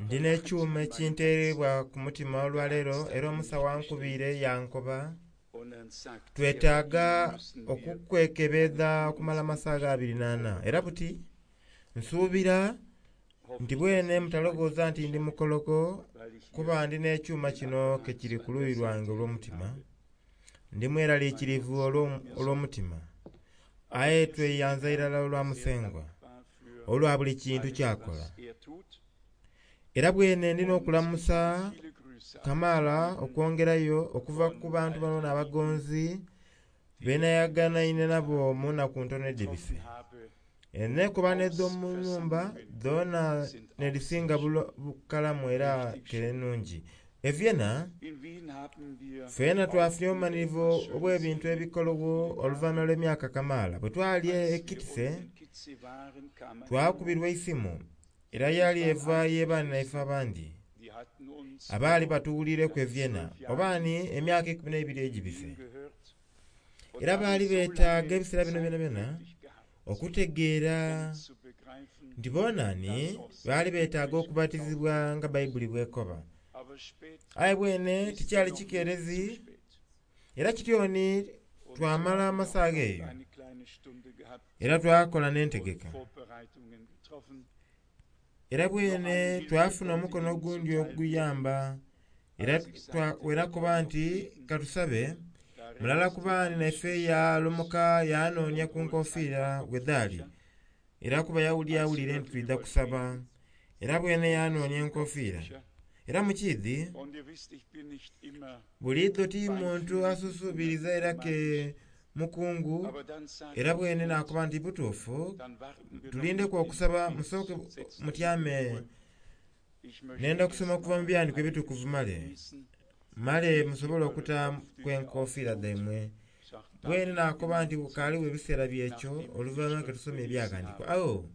Ndina ekyuma ekintereibwa ku mutima olwaleero era omusawo ankubiire yankoba twetaaga okukwekebedha okumala amasaga 24 era buti nsuubira nti bwene mutalowooza nti ndi mukologo kuba ndi n'ekyuma kino kekiri ku luuyi lwange olw'omutima. Ndi mweraliikirivu olw'omutima, aye tweyanza irala olwa Musengwa olwa buli kintu kyakola. Era bwene ndina okulamusa kamaala okwongerayo okuva ku bantu bano n'abagonzi benayaganaine nabo mu naku ntono edhibise. Enekobano edh'omu nhumba dhoona nedhisinga bukalamu era kere nnungi. E Vienna, ffena twafunye obumanhirivu obw'ebintu ebikologho oluvanhuma lw'emyaka kamaala. Bwe twali e Kitse, twakubirwa eisimu era yali eva y'ebanaife abandi abaali batuwuliireku e Vienna oba ni emyaka 12 egibise. Era baali betaaga ebiseera bino byonabyona okutegeera nti boonani baali betaaga okubatizibwa nga Baibuli bwekoba. Aye bwene tikyali kikeerezi era kityoni twamala amasaga eyo era twakola n'entegeka. Era bwene twafuna omukono ogundi oguyamba era wenakoba nti katusabe mulala ku baani naife yalumuka yanoonia ku nkofiira we dhaali era kuba yawulira nti twidha kusaba era bwene yanoonia enkofiira. Era mukiidhi buliidho ti muntu asusuubiriza era ke mukungu era bwene nakoba nti butuufu tulindeku okusaba musooke mutyame. Nenda okusoma okuva mu byandiiko ebitukuvu male male musobole okuta ku enkofiira dhaimwe. Bwene nakoba nti bukaaliwo ebiseera byekyo oluvannyuma ke tusoma ebyaghandiikibwa. Agho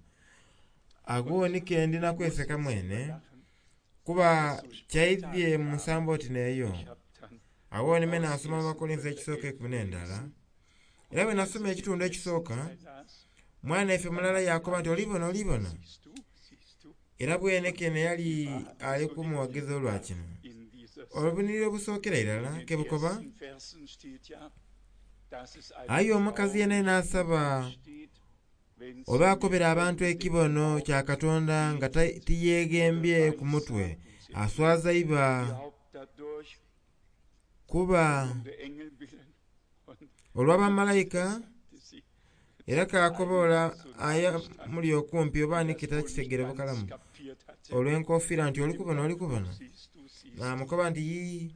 agho ni ke ndina kweseka mwene kuba kyaidhye mu nsambo oti n'eyo. Agho ni me nasoma mu Bakolinso ekisooka 11. Era bwe nasoma ekitundu ekisooka, mwana ife mulala yakoba nti olibona olibona. Era bwene kene yali ali kumuwagiza olwa kino. Obunhiriri obusookera irala ke bukoba, aye omukazi yena n'asaba oba akobera abantu ekibono kya Katonda nga tiyeghembye ku mutwe, aswaza iba kuba olw'abamalaika era kakoba ole aye muli okumpi oba ni kitakitegere bukalamu olw'enkofiira nti oli kubona oli kubona. Namukoba nti yii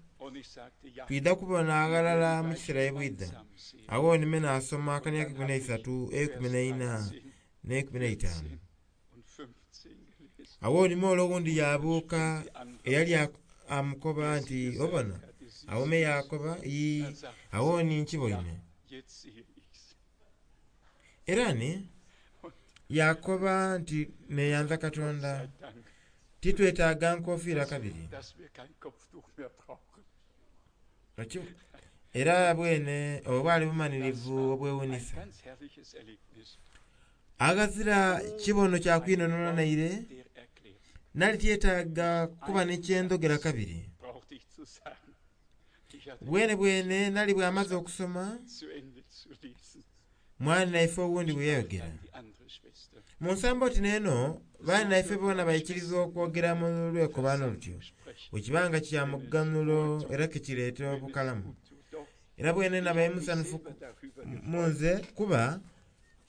twidha kubona aghalala mu kiseera ye bwidha. Agho ni me nasoma akania 13, 14 n'e15. Agho ni me ole owundi yabuuka eyali amukoba nti obona? Agho me yakoba yii agho ni nkiboine. Era ni yakoba nti neyanza Katonda titwetaaga nkofiira kabiri. Era bwene obwo bwali bumanhirivu obwewunisa. Aghazira kibono kya kwinhonhola naire, nali tyetaaga kuba ni kyendhogera kabiri. Bwene bwene nali bwamaze okusoma, mwanaife owundi bwe yayogera. Mu nsambo oti n'eno, banaife boona baikiriza okwogera mu lwekobaano lutyo, bwe kiba nga kya muganhulo era kikireeta obukalamu. Era bwene nabaire musanhufu mu nze kuba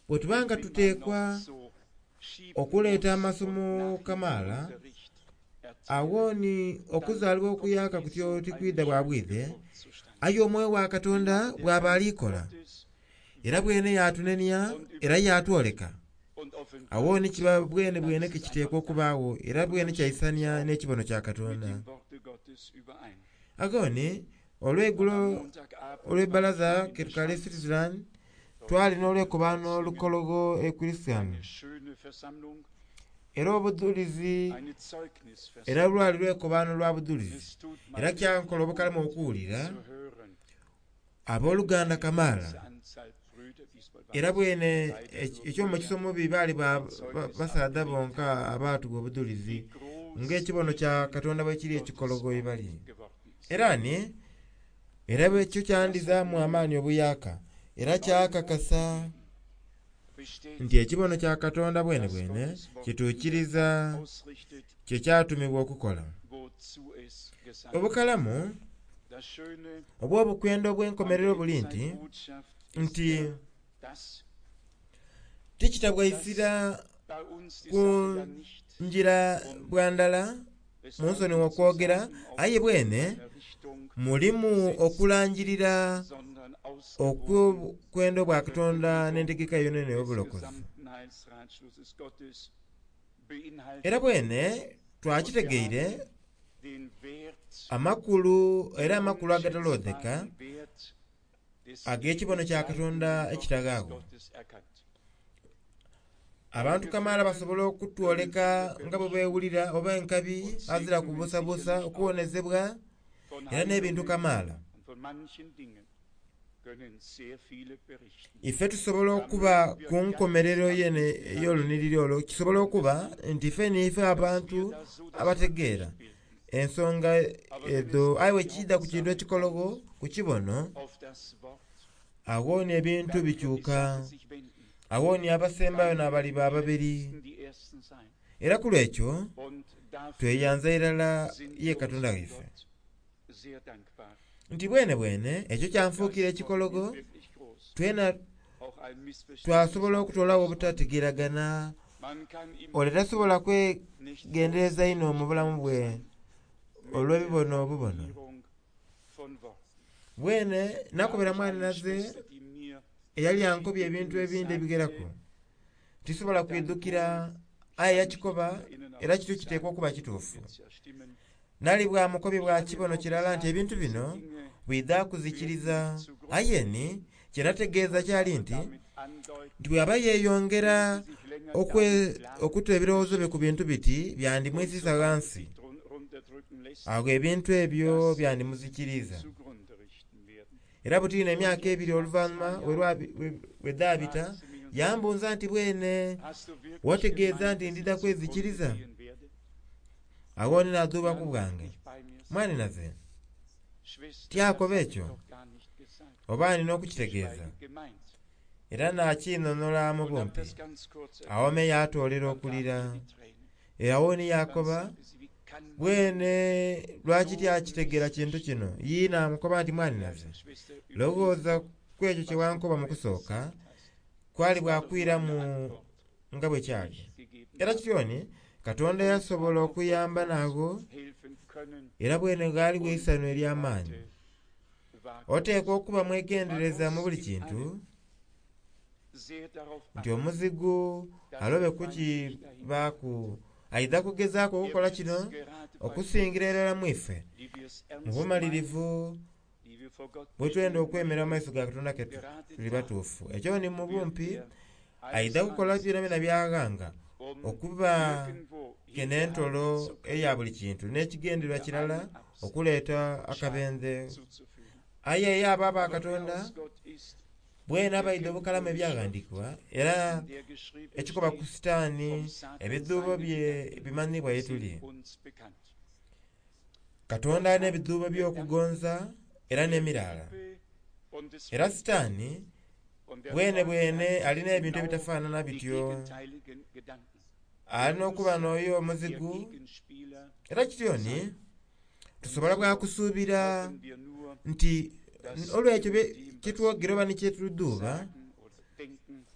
bwe tuba nga tuteekwa okuleeta amasomo kamaala, agho ni okuzaalibwa okuyaaka kutyo tikwidha bwa bwidhe, aye omwoyo wa Katonda bw'aba ali kola. Era bwene yatunenia era yatwoleka. Agho ni kiba bwene bwene kekiteekwa okubaagho era bwene kyaisania n'ekibono kya Katonda. Agho ni olw'eigulo olw'ebbalaza ketukala e Switzerland twali n'olwekobaano olukologho e Christian. Era obudhulizi era lwali lwekobaano lwa budhulizi era kyankola obukalamu okuwulira abooluganda kamaala. Era bwene eky'omukisa omubi baali basaadha bonka abaatugha obudhulizi ng'ekibono kya Katonda bwe kiri ekikologo ye bali. Era ni era ekyo kyandhizaamu amaani obuyaaka era kyakakasa nti ekibono kya Katonda bwenebwene kituukiriza kye kyatumibwa okukola. Obukalamu obw'obukwenda obw'enkomerero buli nti tikitabwa isira ku ngira bwa ndala munsonighe okwogera, aye bwene mulimu okulangirira okw'obukwenda obwa Katonda n'entegeka yonayona ey'obulokozi. Era bwene twakitegeire amakulu era amakulu agataloodheka ag'ekibono kya Katonda ekitaghaagho. Abantu kamaala basobola okutwoleka nga bwe beewulira oba enkabi azira kubuusabuusa okuwonezebwa era n'ebintu kamaala. Ife tusobola okuba ku nkomerero yene ey'olunhiriri olwo, kisobola okuba nti ife niife abantu abategeera ensonga edho. Aye bwe kiidha ku kintu ekikologho ku kibono, agho ni ebintu bikyuka. Agho ni abasembayo n'abaliba ababeri. Era ku lw'ekyo tweyanza irala ye Katonda waife nti bwenebwene ekyo kyanfuukira ekikologo, twena twasobola okutoolagho obutategeeragana. Ole tasobola kwegendereza inho mu bulamu bwe olw'ebibono obubono. Bwene nakobera mwanhinaze eyali ankobye ebintu ebindi ebigheraku. Tisobola kwidhukira aye yakikoba era kityo kiteekwa okuba kituufu. Nali bwa mukobye bwa kibono kirala nti ebintu bino bwidha kuzikiriza. Aye ni kye nategeeza kyali nti nti bw'aba yeeyongera okuta ebirowoozo bye ku bintu biti byandimwisiisa ghansi. Agho ebintu ebyo byandimuzikiriiza. Era butiini emyaka ebiri oluvanhuma bwe dhaabita, yambuuza nti, Bwene wategeeza nti ndidha kwezikiriza? Agho ni naadhuuba ku bwange. Mwanhinaze, tyakoba ekyo? Oba ndi n'okukitegeeza? Era naakiinhonhola mu bumpi. Agho me yaatoolera okulira. Agho ni yaakoba, Bwene lwaki tyakitegeera kintu kino? Yii naamukoba nti, Mwanhinaze, loghooza ku ekyo kye wankoba mu kusooka, kwali bwa kwiramu nga bwe kyali. Era kityo ni Katonda yasobola okuyamba n'agho, era bwene ghaligho eisanhu ery'amaani. Oteekwa okuba mwegendereza mu buli kintu, nti omuzigu alobe kukibaaku. Aidha kugezaaku okukola kino okusingira irala mu ife, mu bumalirivu bwe twenda okwemera mu maiso ga Katonda ke tuli batuufu. Ekyo ni mu bumpi aidha kukola byonabyona by'aghanga okuba ke n'entolo eya buli kintu n'ekigendererwa kirala okuleeta akabenje. Aye ye abo aba Katonda bwene abaidha obukalamu Ebyaghandiikibwa era ekikoba ku Sitaani ebidhuubo bye bimanhiibwa ye tuli. Katonda alina ebidhuubo by'okugonza era n'emiraala. Era Sitaani bwenebwene alina ebintu ebitafaanana bityo. Alina okuba n'oyo omuzigu. Era kityo ni tusobola bwa kusuubira nti olw'ekyo kye twogera oba ni kye tudhuuba,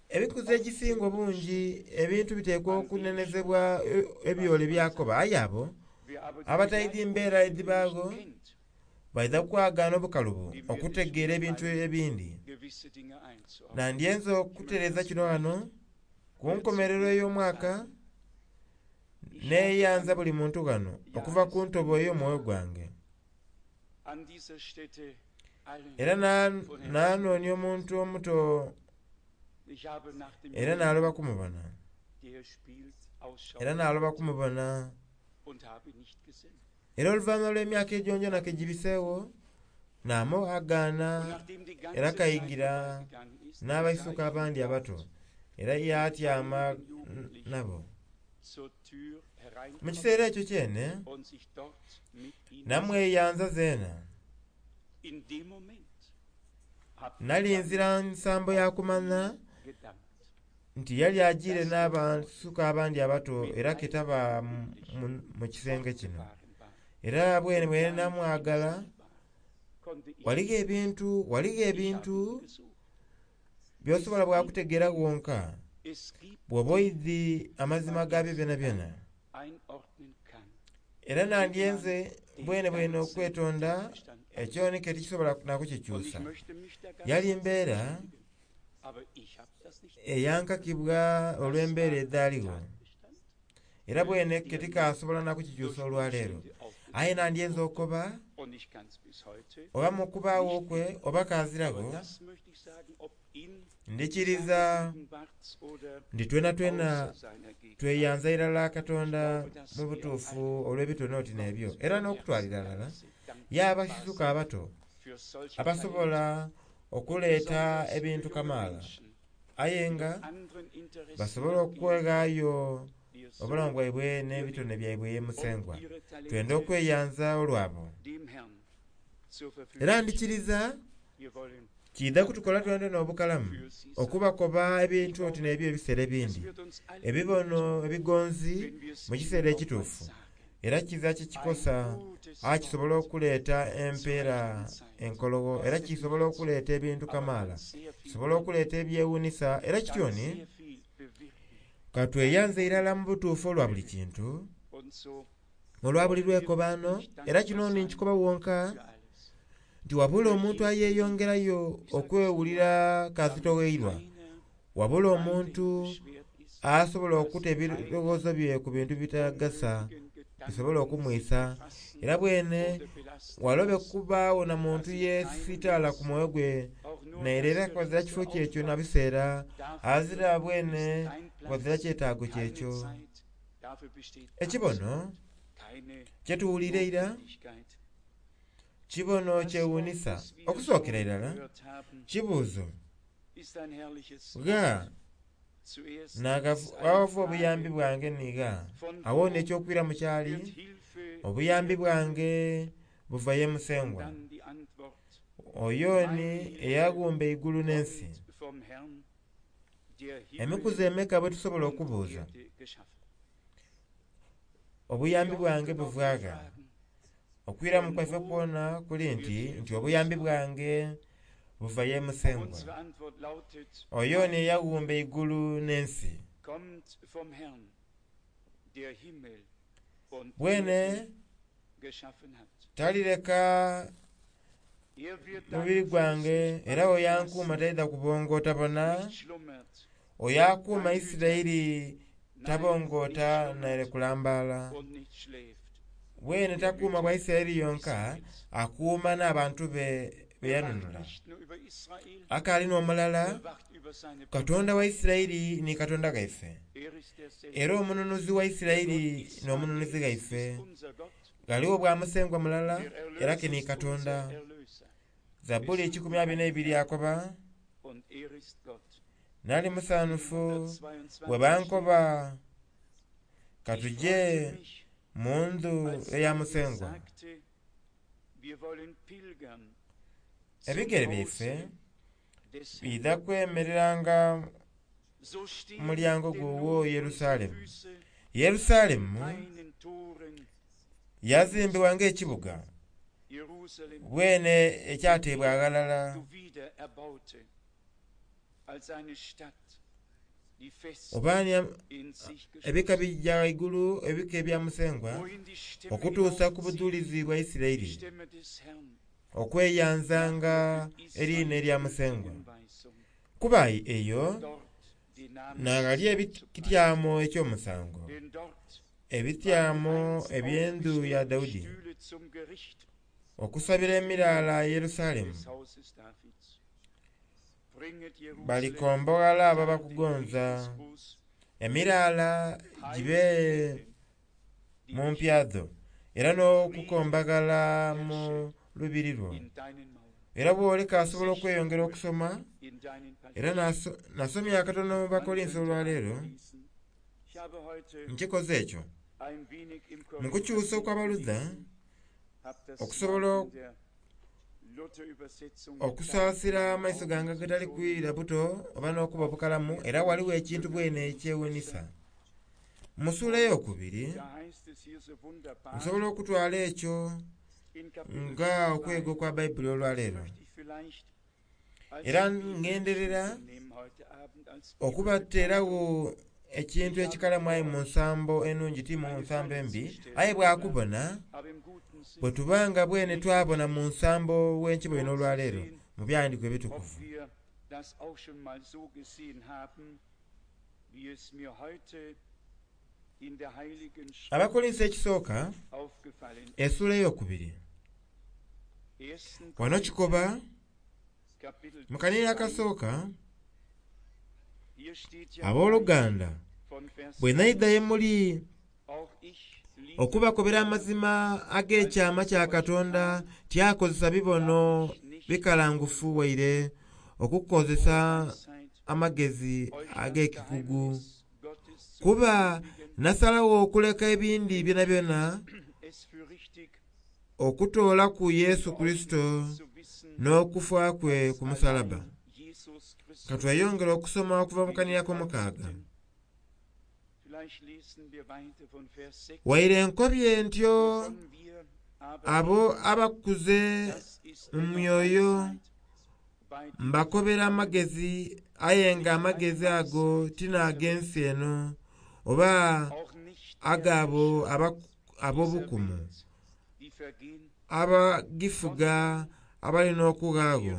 ebikuzi ekisinga obungi ebintu biteekwa okunenezebwa ebyole byakoba. Aye abo abataidhi mbeera edhibaagho baidha kwagaana obukalubo okutegeera ebintu ebindi. Nandyenze okutereeza kino ghano ku nkomerero ey'omwaka. Neeyanza buli muntu ghano okuva ku ntobo ey'omwoyo gwange. Era naanoonia omuntu omuto era naaloba kumubona. Era naaloba kumubona. Era oluvanhuma lw'emyaka egyongyona ke gibiseegho, Namughagaana era kaingira n'abaisuka abandi abato era yaatyama nabo. Mu kiseera ekyo kyene namweyanza zeena. Nali nzira nsambo ya kumanha nti yali agiire n'abaisuka abandi abato era ke taba mu kisenge kino. Era bwenebwene namwagala. Ghaligho ebintu, ghaligho ebintu by'osobola bwakutegeera ghonka bw'oba oidhi amazima gabyo byonabyona. Era nandyenze bwenebwene okwetonda ekyo ni ke tikisobola nakukikyusa. Yali mbeera eyankakibwa olw'embeera edhaligho era bwene ke tikasobola nakukikyusa olwaleero. Aye nandyenze okoba oba mu kubaagho kwe oba kaziragho, ndhikiriza nti twenatwena tweyanza irala Katonda mu butuufu olw'ebitone oti n'ebyo era n'okutwalira irala ye abaisuka abato abasobola okuleeta ebintu kamaala aye nga basobola okweghaayo obulamu bwaibwe n'ebitone byaibwe ye Musengwa. Twenda okweyanza olwabo. Era ndhikiriza kiidha kutukola twenatwena obukalamu okubakoba ebintu oti n'ebyo ebiseera ebindi, ebibono ebigonzi mu kiseera ekituufu. Era kiza kikikosa aye kisobola okuleeta empeera enkologho era kisobola okuleeta ebintu kamaala, kisobola okuleeta ebyewuunhisa era kityo ni ka tweyanze irala mu butuufu olwa buli kintu, olwa buli lwekobaano. Era kino ni nkikoba wonka nti wabula omuntu ayeyongerayo okwewulira kazitogheirwa, wabula omuntu asobola okuta ebirowoozo bye ku bintu bitagasa bisobola okumwisa era bwene walobe kubaagho na muntu yesitala ku mwoyo gwe naire era ghazira kifo kyekyo na biseera azira bwene ghazira kyetaago kyekyo. Ekibono kyetuwulira eira kibono kyewuunhisa. Okusookera irala kibuuzo gha naghava obuyambi bwange ni gha? Agho ni eky'okwiramu kyali, obuyambi bwange buva ye Musengwa, oyo ni eyaghumba eigulu n'ensi. Emikuzi emeka bwe tusobola okubuuza, obuyambi bwange buva gha? Okwiramu kwaife kwona kuli nti, nti obuyambi bwange buva ye Musengwa, oyo ni eyaghumba eigulu n'ensi. Bwene talireka mubiri gwange era oyo ankuuma taidha kubongoota bona. Oyo akuuma Isiraeli tabongoota naire kulambaala. Bwene takuuma bwa Isiraeli yonka, akuuma n'abantu be be yanunula. Akaali n'omulala, Katonda wa Isiraeli ni Katonda ghaife, era omununuzi wa Isiraeli n'omununuzi ghaife. Ghaligho bwa Musengwa mulala, era ke ni Katonda. Zabbuli 122 akoba, Nali musanhufu bwe bankoba ka tuje mu ndhu eya Musengwa. Ebigere byaife biidha kwemereranga mu mulyango gw'owo Yerusalemu. Yerusalemu yazimbibwa ng'ekibuga bwene ekyateebwa aghalala. Oba ni ebika bija ghaigulu ebika ebya Musengwa okutuusa ku budhulizi bwa Isiraeli, okweyanzanga eriina erya Musengwa. Kuba eyo n'aghali ekityamo eky'omusango, ebityamo eby'endhu ya Daudi, okusabira emiraala Yerusalemu. Balikomboghala abo abakugonza, emiraala gibe mu mpya dho, era n'okukombaghala mu lubiri lwo. Era bw'oleka asobola okweyongera okusoma, era nasomye akatono mu Bakolinso olwaleero, nkikoze ekyo. Mu kukyusa okw'Abaluther, okusobola okusaasira amaiso gange agatali kwira buto oba n'okuba obukalamu, era ghaligho ekintu bwene ekyewuunhisa. Mu ssuula ey'okubiri, nsobola okutwala ekyo nga okwega okwa Baibuli olwaleero. Era ngenderera okubateeragho ekintu ekikalamu aye mu nsambo enungi ti mu nsambo embi, aye bwakubona bwe tuba nga bwene twabona mu nsambo ghenkibwaine olwaleero mu Byawandiikibwa Ebitukuvu. Abakolinso ekisooka essuula ey'okubiri, wano kikoba mu kanhiriro akasooka, Abooluganda bwe naidha ye muli okubakobera amazima ag'ekyama kya Katonda tyakozesa bibono bikalangufu waire okukozesa amagezi ag'ekikugu, kuba nasalagho okuleka ebindi byonabyona okutoolaku Yesu Kurisito n'okufa kwe ku musalabba. Ka tweyongere okusoma okuva mu kanhiriro ak'omukaaga. Waire nkobye ntyo abo abakuze mu myoyo mbakobera amagezi, aye nga amagezi ago ti n'ag'ensi eno oba ag'abo ab'obukumu abagifuga abali n'okughagho.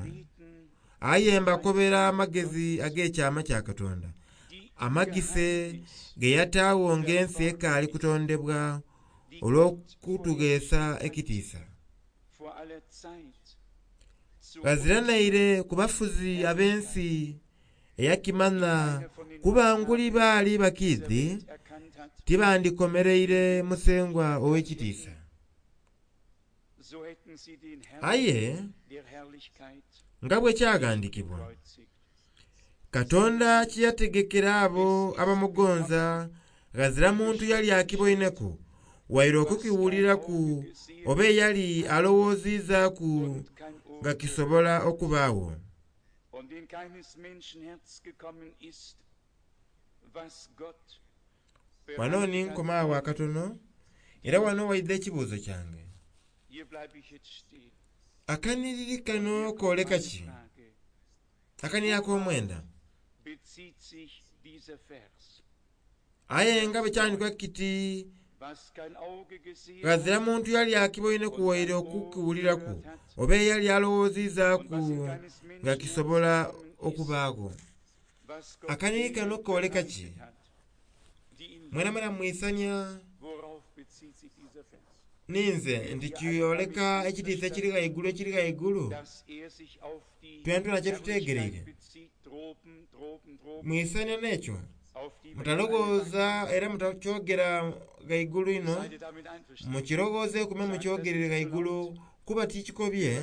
Aye mbakobera amagezi ag'ekyama kya Katonda, amagise ge yataagho ng'ensi ekaali kutondebwa olw'okutugheesa ekitiisa. Ghazira naire ku bafuzi ab'ensi eyakimanha kuba nguli baali bakiidhi tibandikomereire Musengwa ow'ekitiisa. Aye nga bwe kyaghandiikibwa, Katonda kye yategekera abo abamugonza ghazira muntu yali akiboineku waire okukiwuliraku oba eyali alowoozizaaku nga kisobola okubaagho. Wano ni nkoma agho akatono, era wano waidha ekibuuzo kyange. Akanhiriri kano kooleka ki? Akanhiriri ak'omwenda. Aye nga bwe kyandikwa kiti, Ghazira muntu yali akiboineku waire okukiwuliraku, oba eyali alowoozizaaku nga kisobola okubaagho. Akanhiriri kano kooleka ki? Mwenamwena mwisania ninze nti kyoleka ekitiisa ekiri ghaigulu ekiri ghaigulu twenatwena kye tutegereire. Mwisania n'ekyo? Mutaloghooza era mutakyogera ghaigulu inho, mukiroghozeeku me mukyogerere ghaigulu kuba tikikobye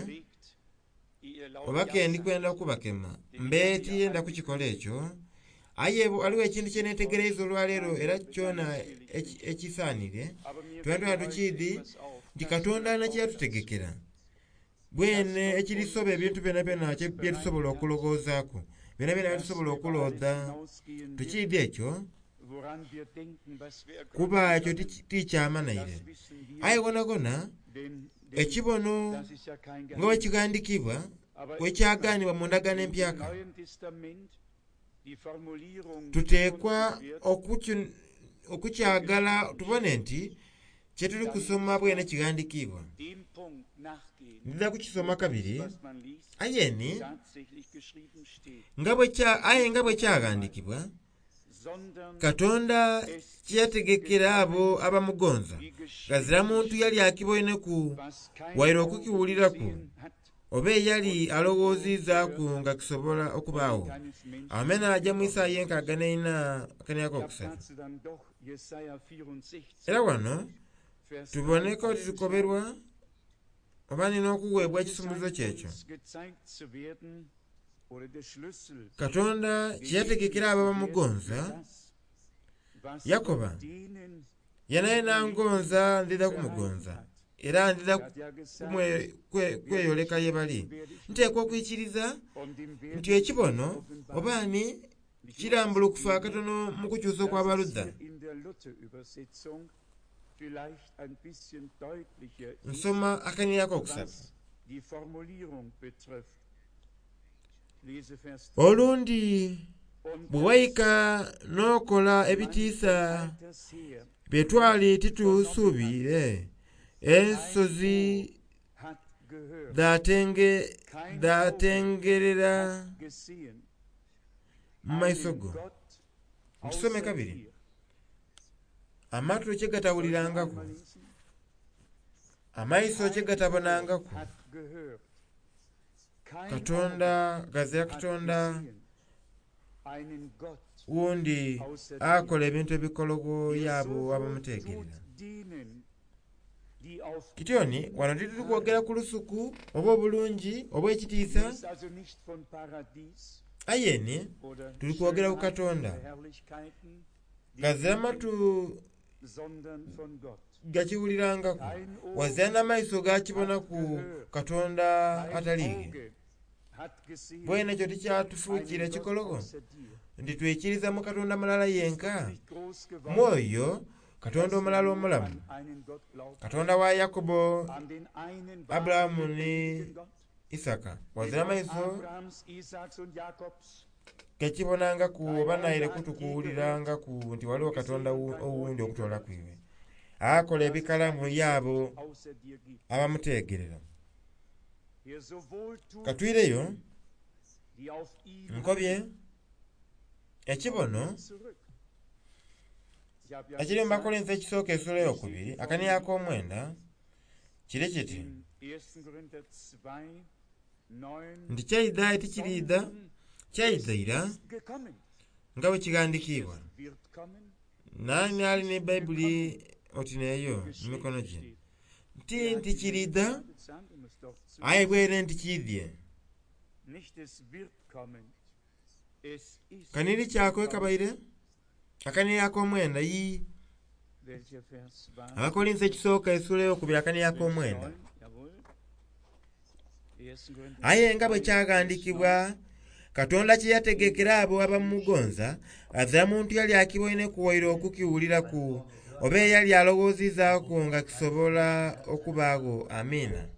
oba ke ndi kwenda okubakema. Mbe tiyenda kukikola ekyo. Aye ghaligho ekintu kye neetegereiza olwaleero era kyona ekisaanire, twenatwena tukiidhi nti Katonda alina kye yatutegekera. Bwene ekirisoba ebintu byonabyona bye tusobola okuloghozaaku, byonabyona bye tusobola okuloodha. Tukiidhi ekyo, kuba ekyo ti kyama naire. Aye ghonhaghonha ekibono nga bwe kighandiikibwa, bwe kyagaanibwa mu Ndagaano Empyaka, tuteekwa okukyagala tubone nti kye tuli kusoma bwene kighandikiibwa. Ndidha kukisoma kabiri, aye ni nga bwe aye nga bwe kyaghandiikibwa, Katonda kye yategekera abo abamugonza, ghazira muntu yali akiboineku waire okukiwuliraku, oba eyali alowoozizaaku nga kisobola okubaagho. Agho me naaja mu Isaia enkaaga n'eina akania akokusatu. Era wano tuboneka oti tukoberwa. Oba nina okuweebwa Hier ekisumuluzo scheint kyekyo uns gezeigt zu werden, oder der Schlüssel Katonda kye gegeben yategekera zu abo werden abamugonza. für das, was Yakoba Gott denen yena yena die ihn lieben, ngonza ndidha verheißen kumugonza hat. era ndidha Er hat ja gesagt, kweyoleka wer ye mich bali. liebt, den werde ich Nteekwa lieben okwikiriza und dem nti werde ich ekibono mich offenbaren. obaani Ich muss kirambulukufa zugeben, akatono mu kukyusa dass es okw'abaludda. hier in der Luther-Übersetzung vielleicht ein bisschen deutlicher ist, Nsoma akanira ak'okusatu. was die Formulierung betrifft. Lese Vers 3. Olundi Und bwe das wayika n'okola man ebitiisa von alters her bye twali nicht vernommen hat, titusuubire, kein ensozi Ohr hat gehört, kein Auge dhatengerera hat gesehen, mu maiso einen go. Gott Ntusome außer kabiri. dir. Amatu kye Soll ich noch gatawulirangaku, einmal lesen? amaiso kye Kein Ohr gatabonangaku. hat gehört, kein Auge Katonda gazira hat Katonda gesehen, einen Gott wundi außer dir, akola ebintu ebikologo der y'abo so wohl abamuteegerera. tut denen, die auf Kityoni ihn wano tituli kwogera harren. ku lusuku oba obulungi oba Hier ekitiisa, ist also nicht von Paradies aye ni oder tuli kwogera ku Schönheit Katonda. oder Herrlichkeiten, die Gazira wir matu kennen, sondern von Gott. gakiwulirangaku, Kein Ohr wazira n'amaiso hat gakibonaku gehört, Katonda kein ataliige. Auge hat gesehen, Bwene ekyo tikyatufuukira einen Gott ekikologo außer dir. nti twikiriza mu Katonda mulala Ist yenka. uns nicht groß geworden, Mwoyo Katonda dass wir omulala nur omulamu, an einen Gott glauben, Katonda wa Yakobo, an den einen wahren, Aburahamu ni lebendigen Gott, Isaka. den Wazira Gott amaiso Abrahams, Isaaks und Jakobs. gakibonangaku Kein oba Auge naire hat je gehört, kutukuwulirangaku nti waliwo Katonda gesehen und kein Ohr owundi je okutoola gehört, ku iwe. Akola dass es ebikalamu einen y'abo Gott außer dir gibt, abamuteegerera. der so wohl tut Katwireyo denen, die auf ihn nkobye harren. ekibono Kommen wir zurück. Ich habe ja ekiri mu gesagt, Bakolinso ekisooka essula wir ey'okubiri stehen akaniya vorhin ak'omwenda kiri kiti in 1. Korinther 2, 9, nti kyaidha tikiriidha sondern es kyaidha ira ist gekommen. nga bwe Nicht kighandikiibwa. es wird kommen, Naani es ali ist ne Bayibuli gekommen, oti neeyo wie mu geschrieben mikono gye steht. nti Wer hat nti die kiriidha Menschen gesandt, um es doch zu aye wissen? bwere nti kiidhye. Nicht es wird kommen, es ist Kaniri kyako gekommen. ekabaire akaniri ak'omwenda yi Welcher Vers war Abakolinso das? ekisooka essula ey'okubiri akaniri Vers ak'omwenda. 9, jawohl. 1. Korinther Aye nga bwe 2, Vers 9. kyaghandiikibwa Katonda kye yategekera abo abamugonza azira muntu yali akiboineku waire okukiwuliraku oba eyali alowoozizaaku nga kisobola okubaagho. Amiina.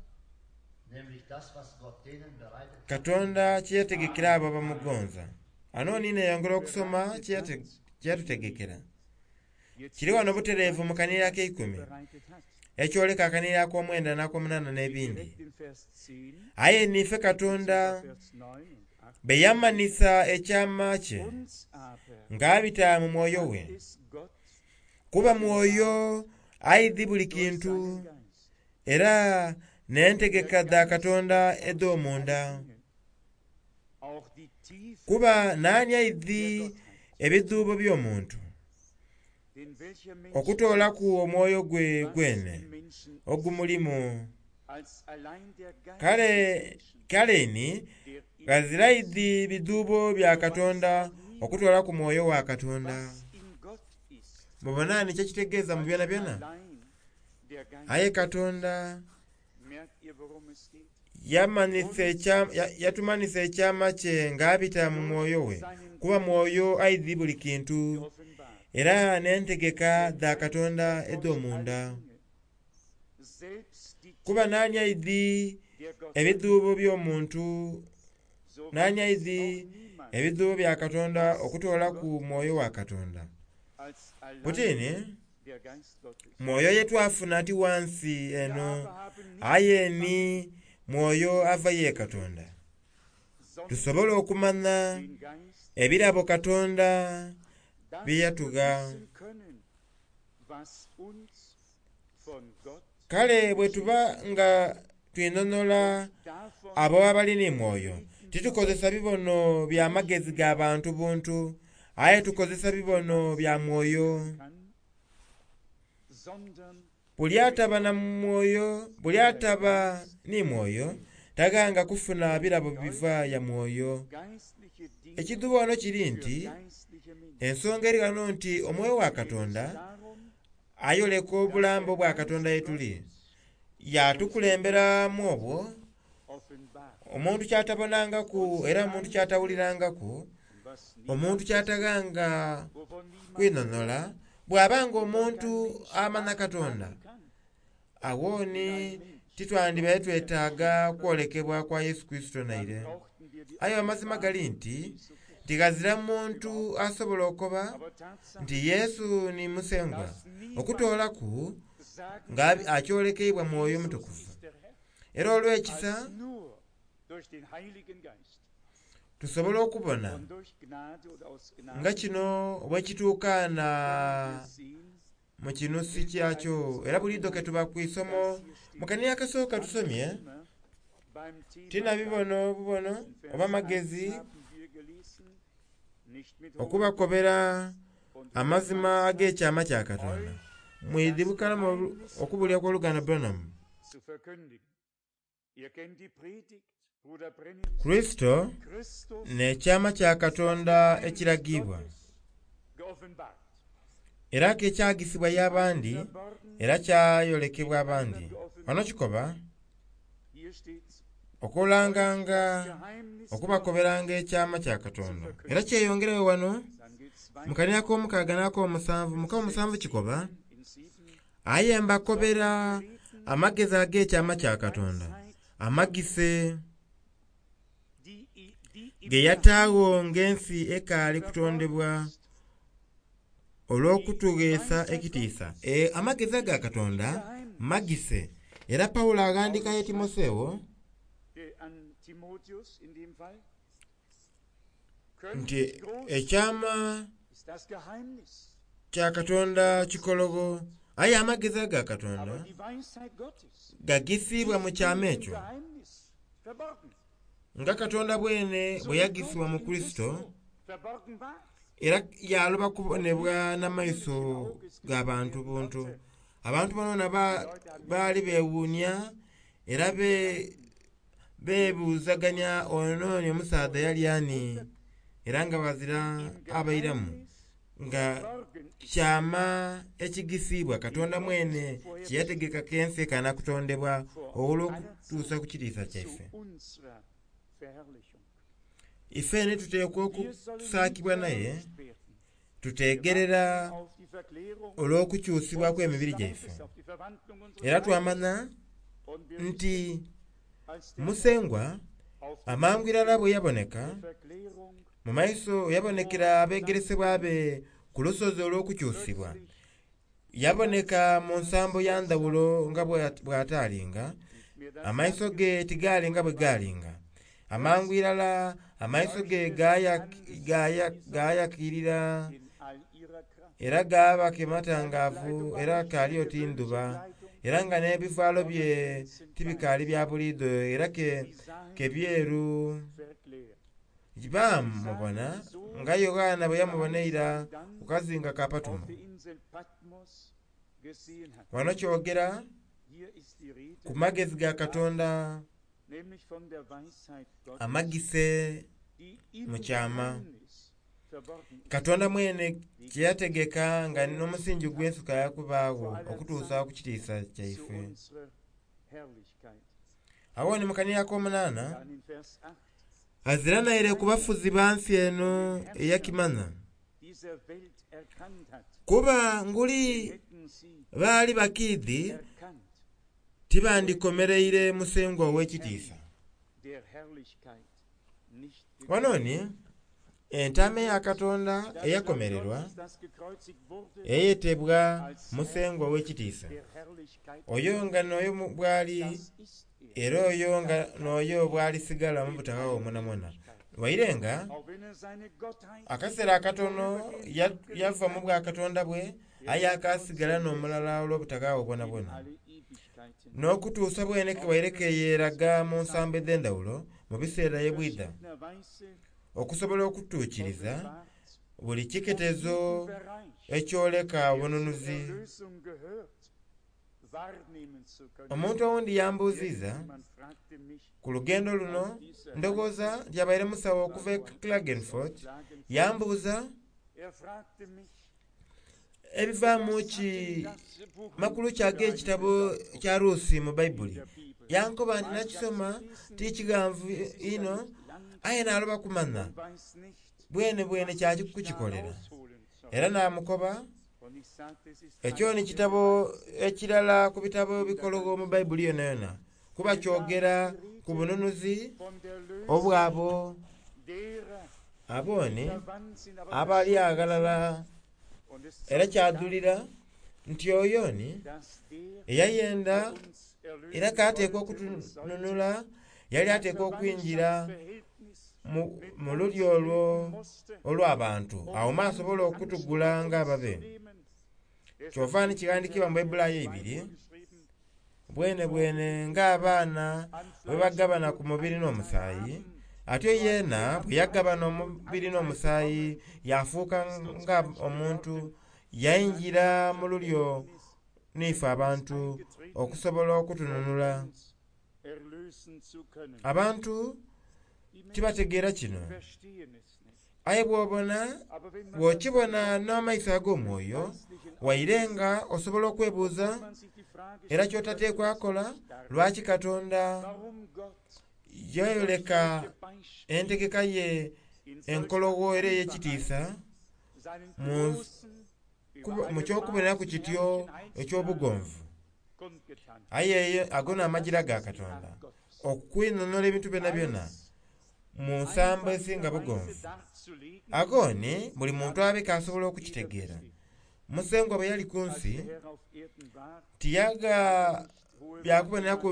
Nämlich das, was Gott denen bereitet hat, Katonda kye yategekera abo Amen, amen. abamugonza. Ano Nicht nina eyongera okusoma bereitet kye hat, die ihn yatutegekera. lieben. Jetzt Kiri wano lese ich, butereevu mu was kanira Gott ak'eikumi bereitet hat. ekyoleka akanira ak'omwenda n'ak'omunaana Steht n'ebindi. direkt in Vers 10 Aye niife und Katonda sogar Vers 9 und 8 bwe gelesen. yamanisa ekyama kye Uns aber ng'abita mu mwoyo hat we. es Gott Kuba mwoyo offenbart aidhi buli durch kintu seinen Geist. era Denn der n'entegeka dha Geist Katonda erforscht alle edh'omunda. Dinge, auch die Tiefen Kuba naani der aidhi Gottheit. ebidhuubo by'omuntu Denn welcher Mensch okutoolaku weiß, omwoyo gwe was gwene im Menschen ist, ogumulimu. als allein der Geist des Kale Menschen, kale ni der in ghazira ihm ist? aidhi bidhuubo bya So weiß Katonda auch niemand, okutoolaku mwoyo wa Katonda. was in Gott ist, Mubona ni kyekitegeeza mu als byonabyona. allein der Geist Aye Gottes. Katonda Merkt ihr, worum es geht? yamanisa Uns yatumanisa ekyama kye ng'abita mu durch mwoyo we seinen kuba Geist mwoyo aidhi buli kintu geoffenbart. era n'entegeka Der dha Geist Katonda erforscht alle edh'omunda. Dinge, selbst die Kuba Tiefe naani aidhi der Gottheit. ebidhuubo by'omuntu So naani weiß aidhi auch niemand, ebidhuubo bya Katonda was in okutoolaku Gott mwoyo ist, wa Katonda. als allein Butini der Geist Gottes. mwoyo ye twafuna ti wansi Wir eno aber haben nicht aye empfangen ni mwoyo ava ye die Katonda Welt, sondern tusobole okumanya den Geist ebirabo der Welt, Katonda dass bye wir yatugha. wissen können, was uns von Gott Kale bwe geschenkt tuba ist. nga twinhonola Und davon abo abali ni mwoyo reden wir titukozesa auch bibono bya nicht magezi mit ga bantu buntu aye wie tukozesa sich bibono jemand bya mwoyo. denken kann, sondern Buli ataba na mwoyo, buli ataba ni mwoyo taghanga kufuna birabo biva ya mwoyo. Geistliche Dinge Ekidhuba wano kiri für nti geistliche Menschen. ensonga eri ghano nti omwoyo wa Geht es Katonda darum, ayoleka obulambo bwa Katonda ye tuli, yatukulemberamu obwo offenbart omuntu kyatabonangaku era omuntu kyatawulirangaku, und was niemand omuntu kyataghanga wovon niemand kwinhonhola. Bw'abanga omuntu amanha Katonda, kann. awooni titwandibaire twetaaga kwolekebwa kwa Yesu Kristo naire. Brauchten wir die Aye amazima gali nti tighazira muntu asobola okoba Aber Tatsache nti Yesu ni Musengwa okutoolaku sagen nga akyolekeibwa mwoyo mutukuvu. ist der Herr, Era olw'ekisa als nur durch den Heiligen Geist tusobola okubona und durch Gnade oder aus Gnade nga kino bwekituukaana wir sehen, mu kinusi kyakyo. Era buliidho ke tuba ku isomo mu kanira akasooka tusomye immer beim Thema tina bibono obubono In Vers oba 1 magezi haben wir gelesen, nicht mit hohen okubakobera und amazima ag'ekyama kya Katonda. Mwidhibukalamu okubulya kw'oluganda Branham. zu verkündigen. Ihr kennt die Predigt, Bruder Brennan. Kristo Christus n'ekyama kya Katonda ekiragibwa Gottes geoffenbart. era kekyagisibwa y'abandi Verborgen, era kyayolekebwa abandi. Wano kikoba hier steht's, okulanganga Geheimnis okubakoberanga ekyama kya Katonda. Era kyeyongereyo wano Dann geht's mu weiter kanira ak'omukaaga n'ak'omusanvu. Mu k'omusanvu kikoba in 7. aye mbakobera amagezi ag'ekyama kya Katonda amagise Die, die im ge yataagho ng'ensi ekaali kutondebwa olw'okutugheesa ekitiisa. Amagezi aga Katonda magise. Era Pawulo aghandikayo Timoseewo an Timotheus in dem Fall. nti Köstlich groß ekyama ist das Geheimnis, kya Katonda kikologo, aye amagezi aga Katonda aber die Weisheit Gottes gagisiibwa mu ist kyama im ekyo Geheimnis verborgen. nga Katonda bwene So bwe wie yagisibwa Gott mu in Kristo Christo verborgen war, era yaloba kubonebwa n'amaiso g'abantu buntu. Abantu bonona baali beewuunya era beebuuzaganya ono ni omusaadha yali ani, era nga bazira im abairamu Geheimnis nga verborgen ist. kyama ekigisiibwa Katonda mwene kye yategeka k'ensi ekaana kutondebwa olw'okutuusa ku kitiisa zu kyaife. unserer Verherrlichung. Ifeene tuteekwa Wir sollen nicht okusaakibwa naye verrückt werden. tuteegerera Wir warten auf die Verklärung olw'okukyusibwa unseres kw'emibiri Leibes, gyaife. auf die Verwandlung unseres Era Leibes. twamanya Und wir nti wissen, als der Musengwa auf dem amangu irala bwe yaboneka der Verklärung mu maiso yabonekera abeegeresebwa be ku lusozi olw'okukyusibwa. plötzlich Yaboneka mu nsambo ya ndhawulo nga bw'ataalinga, nicht mehr das amaiso ge tigaalinga bwe gaalinga. Amangu irala amaiso ge gaayakirira in all ihrer Kraft. era gaaba kematangaavu era kaali oti ndhuba era nga n'ebivaalo bye tibikaali bya buliidho era Sie sahen ke byeru. verklärt. Baamubona nga Yokaana bwe yamubona eira ku kazinga ka Auf Patumo. der Insel Patmos gesehen hat. Wano kyogera Hier ist die Rede, ku magezi ga Katonda nämlich von der Weisheit Gottes, amagise die im mu kyama. Geheimnis verborgen ist. Katonda mwene kye yategeka nga n'omusingi gw'ensuka yakubaagho okutuusa ku kitiisa Zu kyaife. unserer Herrlichkeit. Awo ni mu kanira ak'omunaana Dann in Vers 8. azira naire ku bafuzi ba nsi eno eyakimanya Dieser Welt erkannt hat, kuba nguli hätten sie baali bakiidhi erkannt, tibandikomereire Musengwa ow'ekitiisa. der Herrlichkeit nicht Wano ni entaama eya Katonda Das Lamm eyakomererwa Gottes, das gekreuzigt wurde, eyetebwa Musengwa ow'ekitiisa. der Herrlichkeit, Oyo nga n'oyo bw'ali das ist er. era oyo nga n'oyo bw'alisigala mu butakawo mwonamwona. Waire nga Auch wenn er seine Gottheit akaseera akatono yava mu bwakatonda bwe aye akaasigala n'omulala olw'obutakawo in bwonabwona. alle Ewigkeiten N'okutuusa bwene waire keyeeraga mu nsambo edh'endhawulo mu biseera ebwidha verschiedener Weise okusobola okutuukiriza offenbart, buli kiketezo um jeden Bereich, ekyoleka der zur obununuzi Erlösung gehört, Omuntu owundi yambuuziza ku lugendo luno, ndowooza nti abaire musawo okuva e Klagenfurt, yambuuza ebivaamu ki makulu ki ag'ekitabo kya Ruusi mu Baibuli. Yankoba nti nakisoma ti kighanvu inho, aye naloba kumanha bwene bwene kyaki kukikolera. Era namukoba, ekyo ni kitabo ekirala ku bitabo ebikologho mu Baibuli yonayona, kuba kyogera ku bununuzi obw'abo aboni abali aghalala. Era kyadhulira nti oyo ni eyayenda era k'ateekwa okutununula, yali ateekwa okwingira mu lulyo olwo olw'abantu, agho mwasobola okutugula ng'ababe. Kyova ni kighandhikiibwa mu Baibulayo eibiri, bwene bwene ng'abaana bwe bagabana ku mubiri n'omusaayi, atyo yeena bwe yagabana omubiri n'omusaayi yafuuka nga omuntu, yaingira mu lulyo n'ife abantu okusobola okutununula. Abantu tibategeera kino, aye bw'obona bw'okibona n'amaiso ag'omwoyo, waire nga osobola okwebuuza era ky'otateekwa kola, lwaki Katonda yayoleka entegeka ye enkologho era ey'ekitiisa mu ky'okuboneraku kityo eky'obugonvu. Aye ago n'amagira ga Katonda okwinhonhola ebintu byonabyona mu nsambo esinga bugonvu. Ago ni buli muntu abe k'asobola okukitegeera. Musengwa bwe yali ku nsi tiyagha byakuboneraku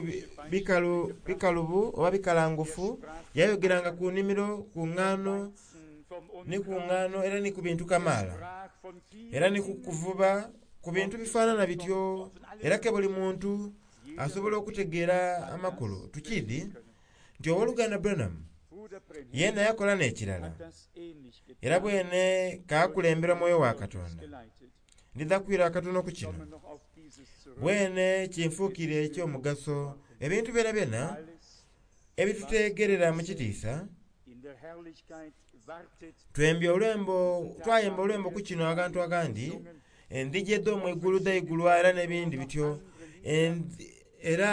bikalubu oba bikalangufu, yayogeranga ku nnhimiro, ku ngano, ni ku ngano era ni ku bintu kamaala, era ni ku kuvuba, ku bintu bifaanana bityo, era ke buli muntu asobola okutegeera amakulu. Tukiidhi nti Ow'oluganda Branham yeena yakola n'ekirala, era bwene k'akulembera Mwoyo wa Katonda. Ndidha kwira akatono ku kino. Bwene kinfuukire eky'omugaso ebintu byonabyona ebituteegerera mu kitiisa. Twembye olwembo, twayemba olwembo ku kino aghantu aghandi, endhigi edh'omu igulu dhaigulwa era n'ebindi bityo, era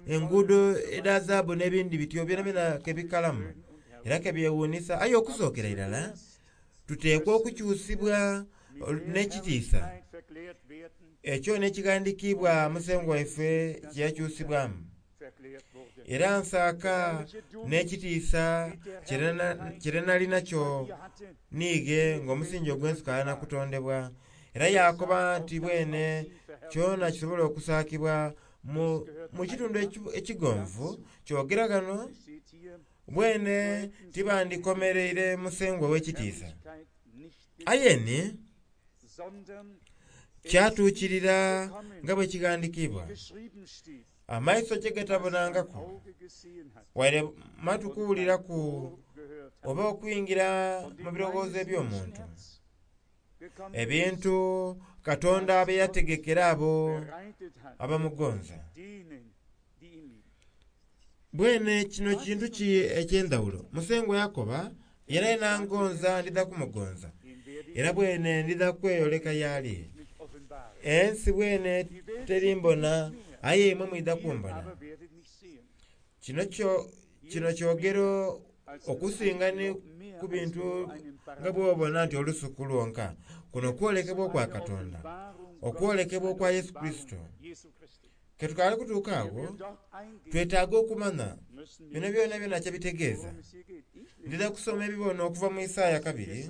enguudo edha zaabu n'ebindi bityo byonabyona ke bikalamu era ke byewuunhisa. Aye okusookera irala tuteekwa okukyusibwa n'ekitiisa ekyo n'ekighandikiibwa Musengwa waife kye yakyusibwamu. Era nsaaka n'ekitiisa kye nali nakyo niighe ng'omusingi ogw'ensi gukaali na kutondebwa. Era yaakoba nti bwene kyona kisobola okusaakibwa mu kitundu ekigonvu. Kyogera ghano, bwene tibandikomereire Musengwa ow'ekitiisa. Aye ni kyatuukirira nga bwe kighandikiibwa, Amaiso kye gatabonangaku, waire matu kuwuliraku, oba okwingira mu birowoozo eby'omuntu, ebintu Katonda bye yategekera abo abamugonza. Bwene kino kintu ki eky'endhawulo? Musengwa yakoba, Yenayena angonza ndidha kumugonza, era bwene ndidha kweyoleka y'ali. Ensi bwene terimbona, aye imwe mwidha kumbona. Kino kyo kino kyogero okusinga ni ku bintu nga bw'obona nti olusuku lwonka. Kuno kwolekebwa okwa Katonda, okwolekebwa okwa Yesu Kurisito. Ke tukaali kutuuka agho, twetaaga okumanha bino byonabyona kye bitegeeza. Ndidha kusoma ebibono okuva mu Isaaya kabiri,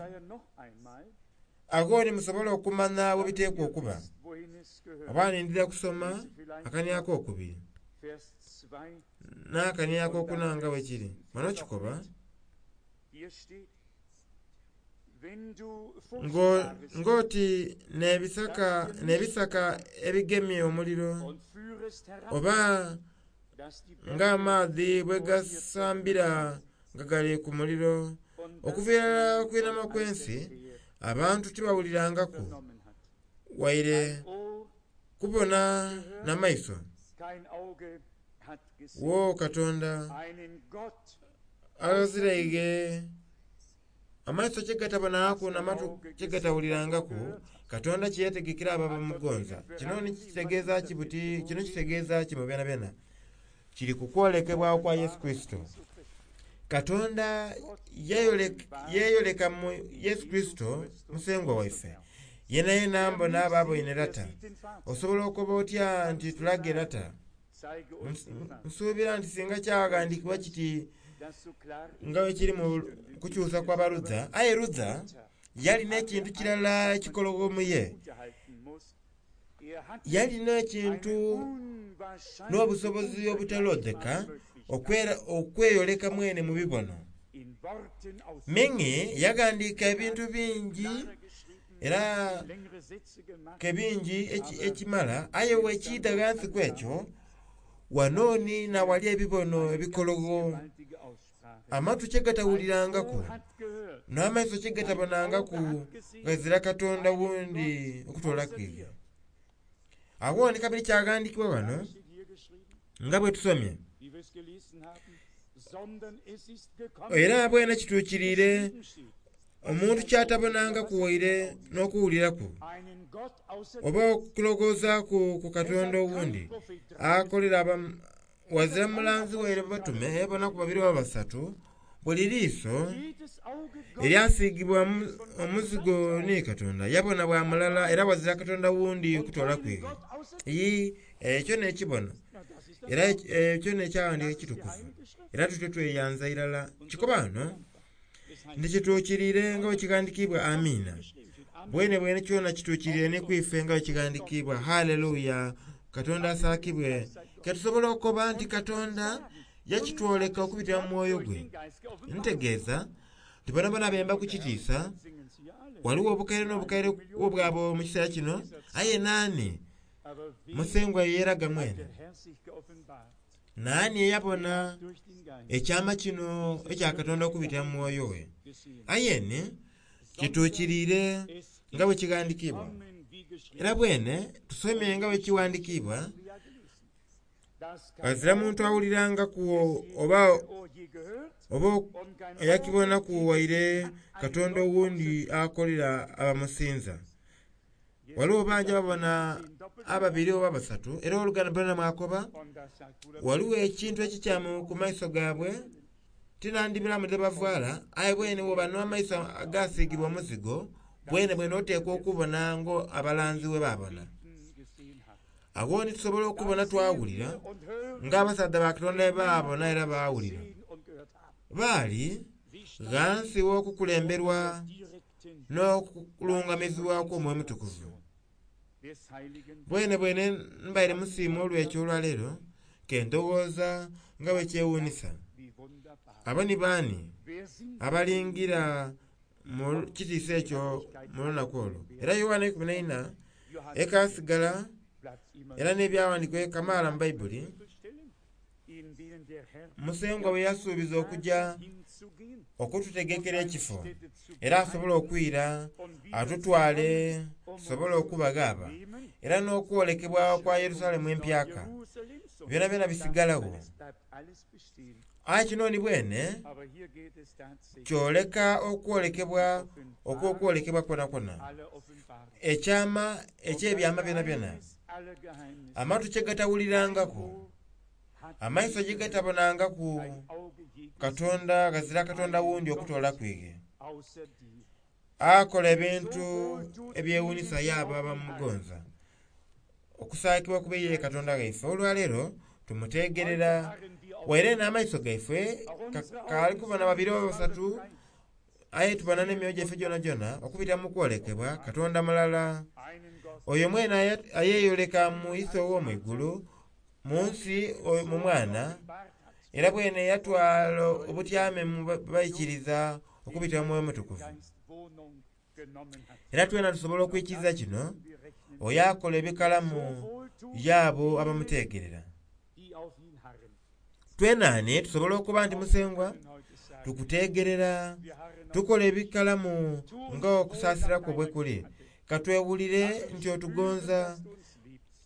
agho ni musobole okumanha bwe biteekwa okuba. Oba ni ndidha kusoma akania akokubiri n'akania akokuna nga bwe kiri. Wano kikoba. Ng'oti n'ebisaka ebigemye omuliro, oba ng'amaadhi bwe gasambira nga gali ku muliro. Okuviira irala okwinhama kw'ensi, abantu tibawulirangaku waire. Kubona na maiso. Wo Katonda aghaziraighe amaiso kye gatabonangaku n'amatu kye gatawulirangaku Katonda kye yategekera abo abamugonza. Kino ni kitegeeza ki buti kino kitegeeza ki mu byonabyona? Kiri ku kwolekebwa kwa Yesu Kurisito. Katonda yeeyoleka mu Yesu Kurisito Musengwa waife. Yenayena mbona aba aboine Lata. Osobola okukoba otya nti tulage Lata? Nsuubira nti singa kyaghandiikibwa kiti nga bwe kiri mu kukyusa kwa Baluther. Aye Luther yalina ekintu kirala ekikologho mu ye. Yalina ekintu n'obusobozi obutaloodheka okweyoleka mwene mu bibono. Meng'e yaghandiika ebintu bingi era ke bingi ekimala, aye bwekiidha ghansi ku ekyo, wano ni n'awali ebibono ebikologho amatu kye gatawulirangaku n'amaiso kye gatabonangaku ghazira Katonda wundi okutoolaku iye. Agho ni kabiri kyaghandiikibwa ghano nga bwe tusomye, era bwene kituukiriire omuntu ky'atabonangaku waire n'okuwuliraku, oba okulowoozaaku ku Katonda owundi akolera ghazira mulanzi waire batume bonaku babiri oba basatu, buli liiso eryasiigibwa omuzigo ni Katonda yabona bwa mulala era ghazira Katonda wundi okutoolaku iwe. Iyii, ekyo n'ekibono era ekyo n'ekyawandiika ekitukuvu era tutyo tweyanza irala. Kikoba ghano nti kituukiriire nga bwe kighandikiibwa Amiina. Bwenebwene kyona kituukiriire ni ku ife nga bwe kighandikiibwa. Haleluya! Katonda asaakibwe. Ke tusobola okukoba nti Katonda yakitwoleka okubitira mu mwoyo gwe. Ntegeeza nti bonabona bemba ku kitiisa. Ghaligho obukaire n'obukaire obwabo mu kiseera kino, aye naani Musengwa ye yeeraga mwene? Naani eyabona ekyama kino ekya Katonda okubitira mu Mwoyo we? Aye ni kituukiriire nga bwe kighandikiibwa. Era bwene tusomye nga bwe kighandikiibwa, ghazira muntu awulirangaku oba oba eyakibonaku waire Katonda owundi akolera abamusinza. Ghaligho bangi ababona ababiri oba basatu, era owoluganda Branham akoba, Ghaligho ekintu ekikyamu ku maiso gaabwe, tinandibiramu dhe bavaala, aye bwene bwoba n'amaiso agaasiigibwa omuzigo, bwenebwene oteekwa okubona ng'abalanzi bwe baabona. Agho ni tusobola okubona twawulira ng'abasaadha ba Katonda bwe baabona era baawulira. Baali ghansi w'okukulemberwa n'okulungamizibwa kw'Omwoyo Omutukuvu. Bwenebwene mbaire musiimu olw'ekyo olwaleero, ke ndowooza nga bwe kyewuunhisa. Abo ni baani abalingira mu kitiisa ekyo mu lunaku olwo? Era Yoanna 14 ekaasigala era n'ebyawandiikibwa kamaala mu Baibuli, Musengwa bwe yasuubiza okuja okututegekera ekifo era asobole okwira atutwale tusobole okuba ghaba, era n'okwolekebwa kwa Yerusalemu empyaka, byonabyona bisigalagho. Aye kino ni bwene kyoleka okwolekebwa okw'okwolekebwa kwonakwona, ekyama eky'ebyama byonabyona, amatu kye gatawulirangaku, amaiso ye gatabonangaku Katonda, ghazira Katonda wundi okutoolaku ighe. Akola ebintu ebyewuunhisa y'abo abamugonza. Okusaakibwa kube ye Katonda ghaife. Olwaleero tumuteegerera waire n'amaiso gaife kaali kubona babiri oba basatu, aye tubona n'emyoyo gyaife gyonagyona okubita mu kwolekebwa Katonda mulala. Oyo mwene ayeeyoleka mu Ise ow'omu igulu, mu nsi mu Mwana, era bwene yatwala obutyame mu baikiriza okubita mu Mwoyo Omutukuvu. Era twena tusobola okwikiriza kino, oyo akola ebikalamu y'abo abamuteegerera. Twena ni tusobola okuba nti Musengwa tukuteegerera, tukola ebikalamu nga okusaasira kwo bwe kuli. Ka twewulire nti otugonza.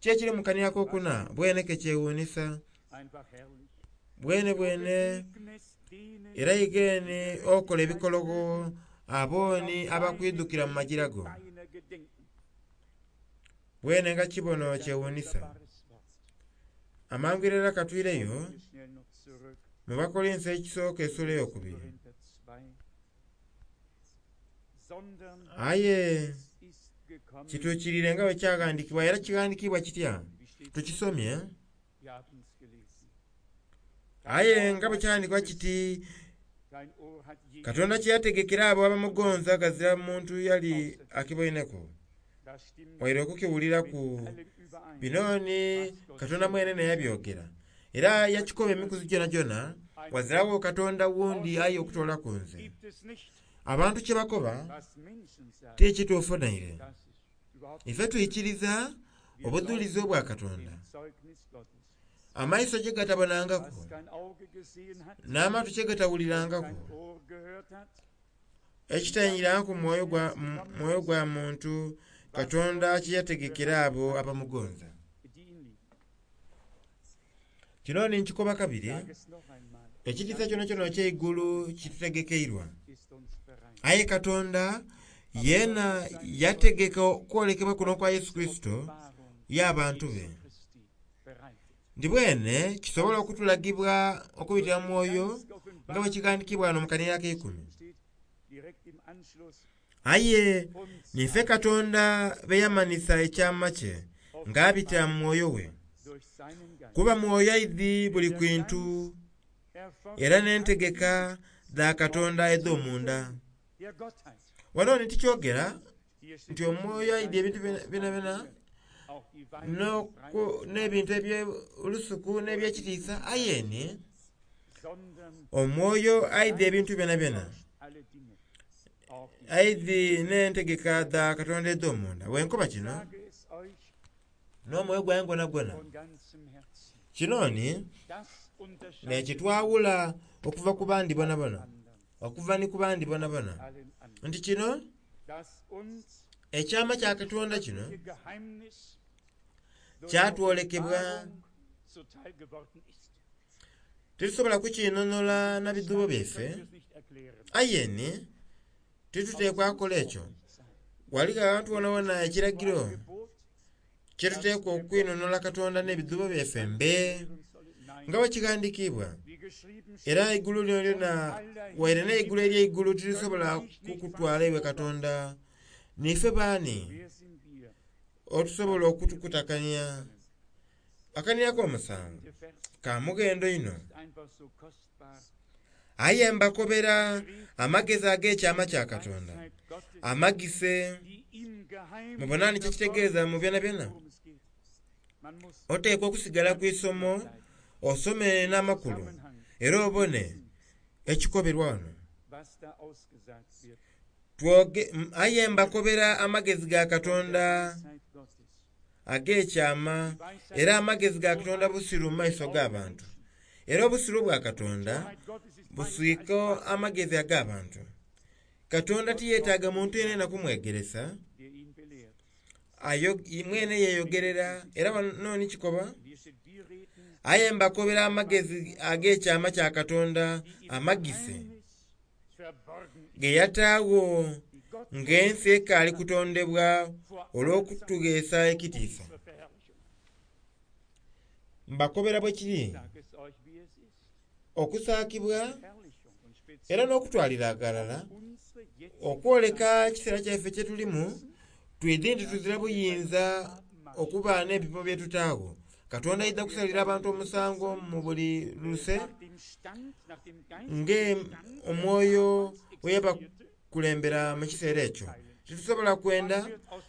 Ki ekiri mu kanira akokuna bwene ke kyewuunisa Einfach herrlich. bwene bwene Begegnest denen, era igeni okola ebikologo abooni abakwidukira mu magira go deiner gedenken. bwene nga kibono Ein kyewuunisa wunderbares Wort. amangu irala katwireyo Kommen wir schnell noch zurück. mu Bakolinso ekisooka essula eyokubiri Korinther 2. Sondern aye es ist gekommen, kituukirire nga bwe kyaghandikibwa era kighandikibwa kitya wie steht tukisomye Wir haben es gelesen. aye nga bwe kyaghandikibwa kiti Kein Ohr hat je Katonda kye yategekera abo abamugonza gazira muntu yali akiboineku Das stimmt waire okukiwuliraku mit allen überein. bino ni Katonda mwene neyabyogera era yakikoba emikuzi gyona gyona wazirawo Katonda wundi aye okutoolaku nze Gibt es nicht, abantu kye bakoba was Menschen sagen. ti kituufu naire Das ist überhaupt ife twikiriza Wir obudhulizi glauben obwa Katonda dem Zeugnis Gottes. amaiso gye gatabonangaku Was kein Auge gesehen hat, n'amatu kye gatawulirangaku kein Ohr gehört hat, ekitayingirangaku mwoyo gwa, mwoyo gwa muntu Katonda kye yategekera abo abamugonza die ihn lieben. kino ni nkikoba kabiri Sag es noch einmal. ekitiisa kyona kyona ekyeigulu kitutegekeirwa Ist uns bereit. aye Katonda yeena yategeka okwolekebwa kuno kwa Yesu Kristo Offenbarung y'abantu be Jesu Christi bereitet. ndi bwene kisobola okutulagibwa okubitira mu mwoyo nga bwe kigandikibwa wano mu kanira ak'eikumi Steht direkt im Anschluss aye uns nife Katonda be yamanisa ekyama kye ng'abitira mu mwoyo we durch seinen Geist. kuba mwoyo aidhi buli kintu Erforscht era n'entegeka dha Katonda edh'omunda der Gottheit. wano ni tikyogera Hier steht nti omwoyo aidhi ebintu byona auch die byona n'ebintu eby'olusuku n'ebyekitiisa aye ni sondern omwoyo aidhi ebintu byona byona alle Dinge. Auch die aidhi n'entegeka dha Katonda edh'omunda wenkoba kino sage es euch n'omwoyo gwange gwona gwona von ganzem Herzen. kino ni Das unterscheidet nekitwawula okuva ku bandi bonabona anderen, okuva ni ku bandi bonabona allen anderen. nti kino Dass uns ekyama kya Katonda kino ihr Geheimnis durch kyatwolekebwa Offenbarung zuteil geworden ist. tetusobola kukinonoola na bidhubo byaife Können wir es nicht erklären. aye ni tituteekwa kukola ekyo wali abantu wonawona ekiragiro Ein Gebot kyetuteekwa okwinonola Katonda n'ebidhubo byaife mbe hören sollen. Nein, nga bwe kighandikibwa wie geschrieben era steht, eigulu lino lyona waire n'eigulu ery'eigulu tirisobola kukutwala iwe Katonda niife baani wer sind wir? otusobola okutukutakanya akanirako omusanvu Der Vers ka mughendo inho ist einfach so kostbar. aye mbakobera amagezi ag'ekyama kya Katonda Weisheit Gottes, amagise die im Geheimen mubona nikyo kitegeeza mu byona byona worum es geht. Man muss oteekwa okusigala ku isomo osome n'amakulu Zusammenhang era obone ekikoberwa wano was da ausgesagt wird. Twoge, aye mbakobera amagezi ga Katonda Weisheit Gottes. ag'ekyama era amagezi ga Katonda busiru mu maiso g'abantu era obusiru bwa Katonda Weisheit Gottes ist buswika amagezi ag'abantu Katonda tiyeetaaga muntu yenena kumwegeresa der ihn belehrt. ayo mwene yeeyogerera era wano ni kikoba Und hier steht, wir reden aye mbakobera amagezi ag'ekyama kya Katonda die im amagise Geheimnis verborgen ist, ge yataagho die Gott ng'ensi ekaali kutondebwa olw'okutugheesa ekitiisa zur Verherrlichung. mbakobera bwe kiri Sag es euch, wie es ist. okusaakibwa Verherrlichung und speziell era n'okutwalira aghalala unsere jetzige okwoleka ekiseera kyaife kye tulimu twidhi nti tuzira buyinza okuba n'ebipimo bye tutaagho Katonda aidha kusalira abantu omusango mu buli luse nach dem Stand, nach dem geistlichen nge Stand omwoyo der we damals yabakulembera mu kiseera ekyo titusobola kwenda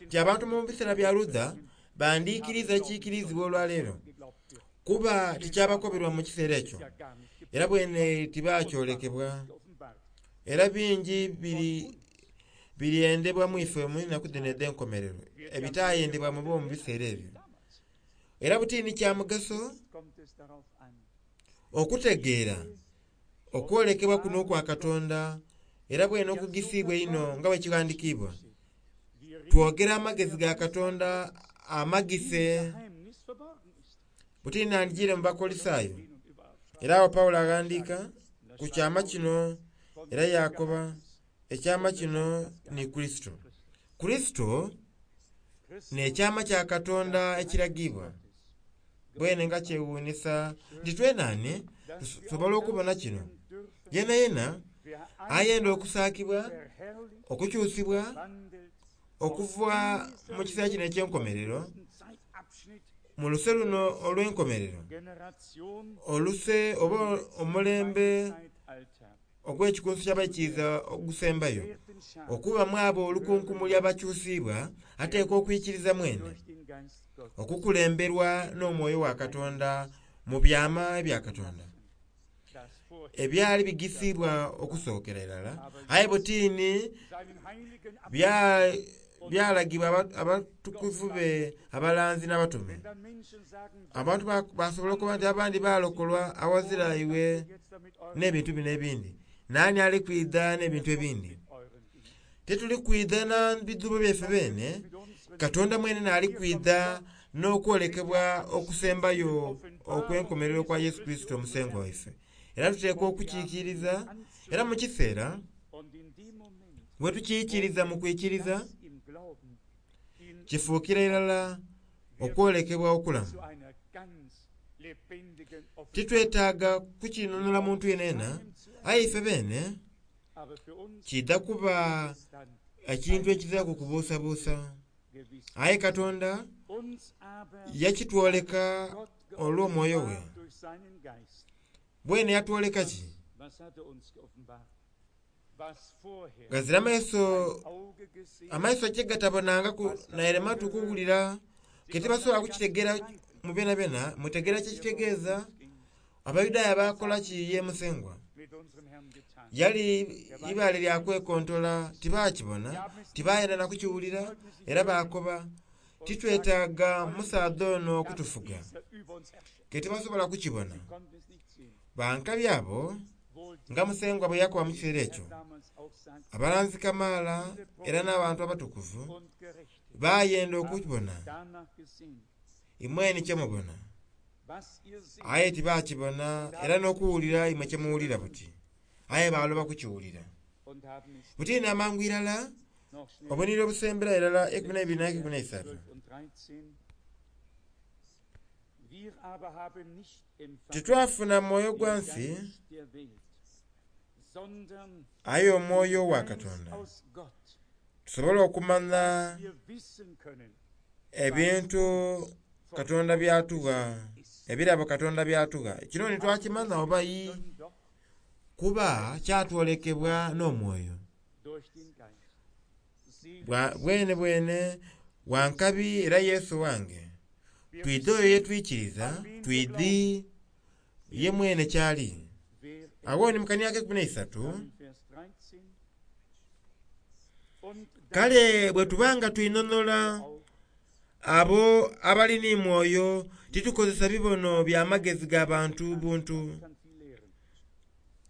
nti abantu mu biseera bya Luther bandiikiriza ekiikirizibwa olwaleero geglaubt wird. kuba tikyabakoberwa mu kiseera ekyo Ja gar nicht era bwene tibakyolekebwa geoffenbart. era bingi biri biryendebwa mu ife mu nnaku dhino edh'enkomerero ebitaayendebwa mu bo mu biseera ebyo Damals era butiini kya mugaso kommt es darauf an, okutegeera okwolekebwa kuno okwa Katonda era bwene okugisiibwa einho nga bwe kighandikiibwa Wir reden twogera amagezi ga Katonda amagise Geheimnis Buti nandijiire mu Bakolisaayo. Era awo Pawulo aghandiika ku kyama kino era yaakoba ekyama kino ni Kurisito. Kurisito n'ekyama kya Katonda ekiragibwa. Bwene nga kyewuunisa nti twenani tusobola okubona kino. Yena yena ayenda okusaakibwa, okukyusibwa, okuva mu kiseera kino eky'enkomerero, mu luse luno olw'enkomerero, oluse oba omulembe ogw'ekikunsu ky'abaikiriza ogusembayo, okuba mu abo olukunkumuli abakyusibwa, ateekwa okwikiriza mwene, okukulemberwa n'omwoyo wa Katonda mu byama ebya Katonda ebyali bigisibwa okusookera irala, aye butiini byalagibwa abatukuvu be abalanzi n'abatume. Abantu basobola okuba nti abandi balokolwa awazira iwe n'ebintu bino ebindi. Nani ali kwidha n'ebintu ebindi? Tetuli kwidha na bidhubo byaife beene, Katonda mwene n'ali kwidha n'okwolekebwa okusembayo okw'enkomerero kwa Yesu Kristo omusengo waife. Era tuteekwa okukiikiriza, era mu kiseera bwe tukiikiriza mu kwikiriza, kifuukira irala okwolekebwa okulamu. Titwetaaga kukinunula muntu yenena, aye ife beene kidha kuba ekintu ekiziraku kubuusabuusa. Aye Katonda yakitwoleka olw'omwoyo we. Bwene yatwoleka ki? Gazira amaiso amaiso kye gatabonangaku naire matu kuwulira, ke tibasobola kukitegeera mu byenabyenna, mutegeera kye kitegeeza. Abayudaaya baakola ki ye Musengwa? Yali ibaale lya kwekontola, tibaakibona, tibayenda na kukiwulira, era baakoba, titwetaaga musaadha ono okutufuga. Ke tibasobola kukibona. Bankabi abo nga Musengwa bwe yakoba mu kiseera ekyo, abalanzi kamaala era n'abantu abatukuvu bayenda okukibona, imwe ni kye mubona. Aye tibakibona era n'okuwulira imwe kye muwulira buti. Aye baaloba kukiwulira. Buti n'amangu irala, obunire obusembera irala 12 na 13. Titwafuna mwoyo gwa nsi, aye omwoyo wa Katonda. Tusobole okumanya ebintu Katonda byatugha, ebirabo Katonda byatugha. Kino ni twakimanya oba yi, kuba kyatwolekebwa n'omwoyo. Bwene bwene wankabi era Yesu wange. Twidhi oyo yetwikiriza, twidhi ye mwene kyali. Awo ni mu kaniaka 13, kale bwe tubanga twinonola abo abali ni mwoyo, titukozesa bibono bya magezi ga bantu buntu,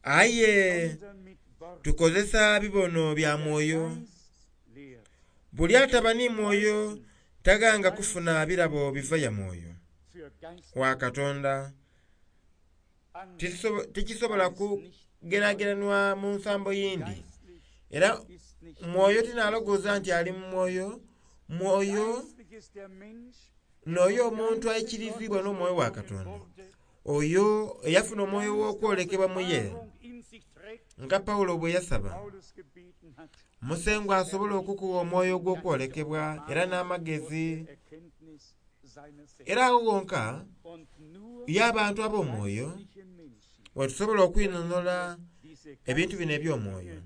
aye tukozesa bibono bya mwoyo. Buli ataba ni mwoyo taghanga kufuna birabo biva ya mwoyo wa Katonda. Tikisobola kugerageranwa mu nsambo yindi. Era mwoyo tinalogooza nti ali mu mwoyo, mwoyo n'oyo omuntu aikirizibwa n'omwoyo wa Katonda. Oyo eyafuna omwoyo w'okwolekebwa mu ye, nga Pawulo bwe yasaba, Musengwa asobola okukuwa omwoyo ogw'okwolekebwa era n'amagezi. Era agho wonka y'abantu ab'omwoyo wetusobola okwinhonhola ebintu bino eby'omwoyo.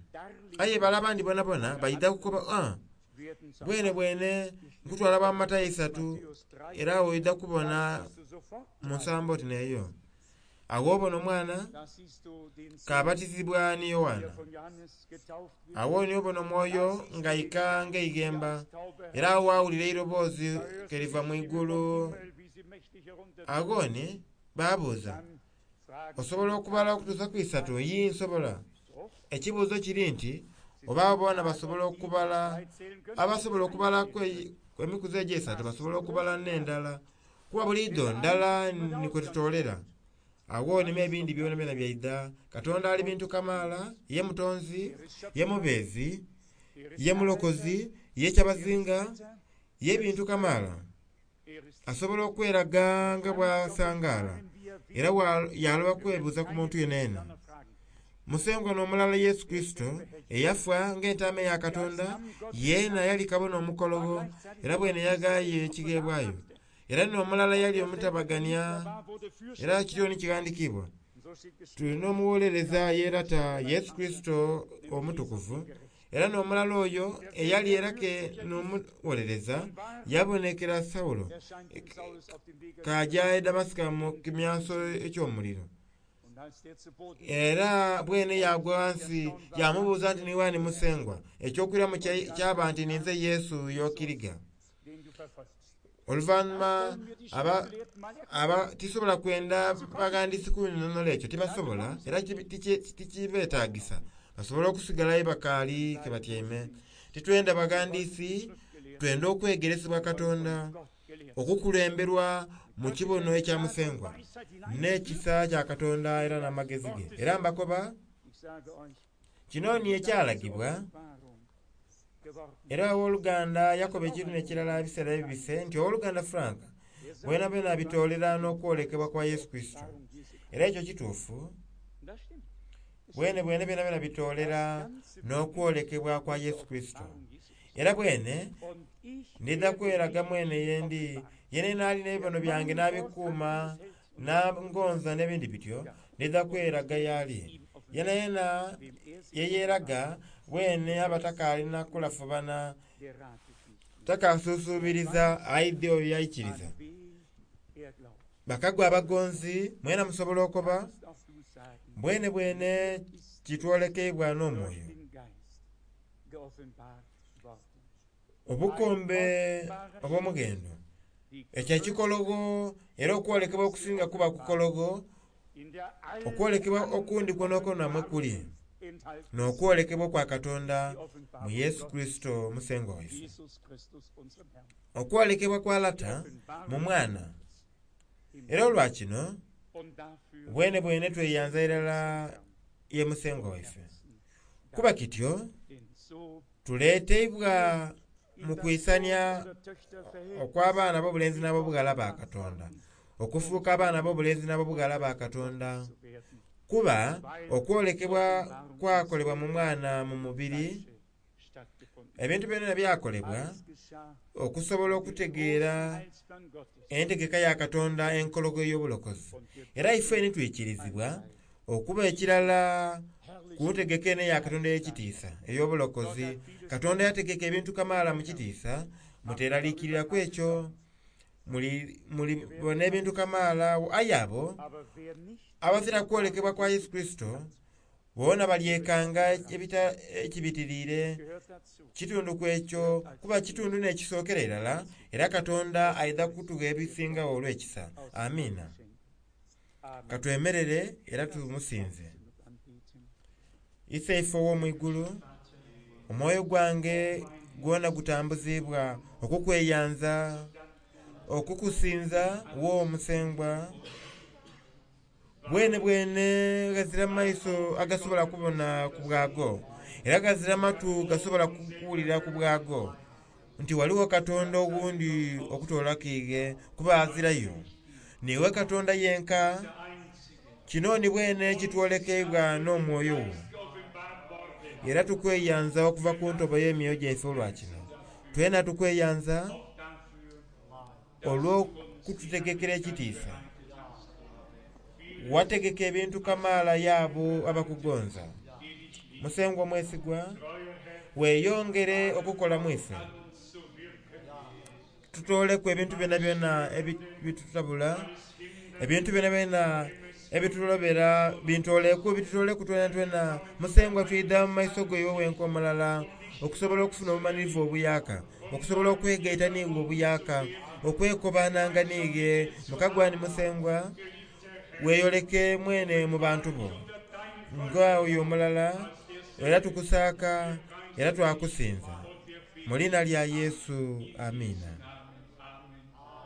Aye bale abandi bonabona baidha kukoba, ah, bwene bwene nkutwala bwa Matayo 3, era awo oidha kubona mu nsambo oti n'eyo. Agho obona omwana k'abatizibwa ni Yoanna. Agho ni obona omwoyo ng'aika ng'eighemba, era agho waawulira eiroboozi ke liva mu igulu. Agho ni baabuuza, osobola okubala okutuusa ku 3? Yi, nsobola. Ekibuuzo kiri nti oba abo boona basobola okubala, abasobola okubala emikuzi egyo 3 basobola okubala n'endala. Kuba buliidho ndala ni kwe tutoolera. Agho nime ebindi byonabyona byaidha. Katonda ali bintu kamaala, ye mutonzi, ye mubeezi, ye mulokozi, ye kyabazinga, ye bintu kamaala. Asobola okweraga nga bw'asangaala era yaloba kwebuuza ku muntu yenayena. Musengwa n'omulala Yesu Kurisito eyafa ng'entaama eya Katonda, yeena yali kabona omukologho era bwene yaghaayo ekigheebwayo. Era n'omulala yali omutabagania, era kityo ni kighandikiibwa. Tuli n'omuwolereza ye Lata, Yesu Kurisito omutukuvu, era n'omulala oyo eyali era ke n'omuwolereza yabonekera Saulo k'aja e Damasika mu kimyanso eky'omuliro. Era bwene yaagwa ghansi yaamubuuza nti, Niiwe ani Musengwa? Eky'okwiramu kyaba nti, Ninze Yesu y'okiriga. Oluvannyuma aba tisobola kwenda baghandiisi kunhinonhola ekyo, tibasobola era tikibeetagisa. Basobola okusigalayo bakaali ke batyaime. Titwenda baghandiisi, twenda okwegeresebwa Katonda, okukulemberwa mu kibono ekya Musengwa, n'ekisa kya Katonda era n'amagezi ge. Era mbakoba, kino ni ekyalagibwa. Era owoluganda yakoba ekintu n'ekirala ebiseera ebibise nti owoluganda Frank bwenabwena abitoolera n'okwolekebwa kwa Yesu Kurisito. Era ekyo kituufu, bwene bwene byenabwena bitoolera n'okwolekebwa kwa Yesu Kurisito. Era bwene ndidha kweraga mwene yendi, yene naali n'ebibono byange n'abikuuma n'angonza n'ebindi bityo, ndidha kweraga y'ali. Yena yena yeyeraga bwene aba takaalina kulafubana, takasuusuubiriza aidhi oyo yaikiriza. Bakagwa abagonzi mwena musobola okoba, bwene bwene kitwolekeibwa n'omwoyo. Obukombe obw'omughendo, ekyo ekikologho era okwolekebwa okusinga kuba kukologho, okwolekebwa okundi kwonakwona mwe kuli, n'okwolekebwa okwa Katonda mu Yesu Kurisito Musengwa waife. Okwolekebwa kwa Lata mu Mwana. Era olwa kino bwene bwene tweyanza irala ye Musengwa waife. Kuba kityo tuleeteibwa mu kwisania okw'abaana ab'obulenzi n'ab'obughala ba Katonda, okufuuka abaana ab'obulenzi n'ab'obughala ba Katonda. Kuba okwolekebwa kwakolebwa mu Mwana mu mubiri, ebintu byona byakolebwa okusobola okutegeera entegeka ya Katonda enkologho ey'obulokozi. Era ife ni twikirizibwa okuba ekirala ku ntegeka eno eya Katonda ey'ekitiisa ey'obulokozi. Katonda yategeka ebintu kamaala mu kitiisa, muteeraliikiriraku ekyo. Mulibona ebintu kamaala. Aye abo abazira kwolekebwa kwa Yesu Kurisito boona balyekanga ekibitiriire. Kitundu ku ekyo, kuba kitundu n'ekisookera irala, era Katonda aidha kutugha ebisingagho olw'ekisa. Amiina. Katwemerere era tumusinze. Iseife ow'omu igulu, omwoyo gwange gwona gutambuziibwa okukweyanza, okukusinza wo Musengwa. Bwene bwene ghazira maiso agasobola kubona ku bwago, era ghazira matu gasobola kuwulira ku bwago, nti ghaligho Katonda owundi okutoolaku ighe, kuba azirayo. Niiwe Katonda yenka. Kino ni bwene kitwolekeibwa n'omwoyo wo. Era tukweyanza okuva ku ntobo y'emyoyo gyaife olwa kino. Twena tukweyanza olw'okututegekera ekitiisa. Wategeka ebintu kamaala y'abo abakugonza. Musengwa omwesigwa, weeyongere okukola mu ife. Tutooleku ebintu byonabyona ebitutabula, ebintu byonabyona ebitulobera, bintooleku bitutooleku twenatwena. Musengwa twidha mu maiso go iwe wenka omulala, okusobola okufuna obumanhirivu obuyaaka, okusobola okwegaita n'iwe obuyaaka, okwekobaananga n'iwe. Mukagwani Musengwa, weeyoleke mwene mu bantu bo nga oyo omulala, era tukusaaka era twakusinza. Mu liina lya Yesu, Amiina.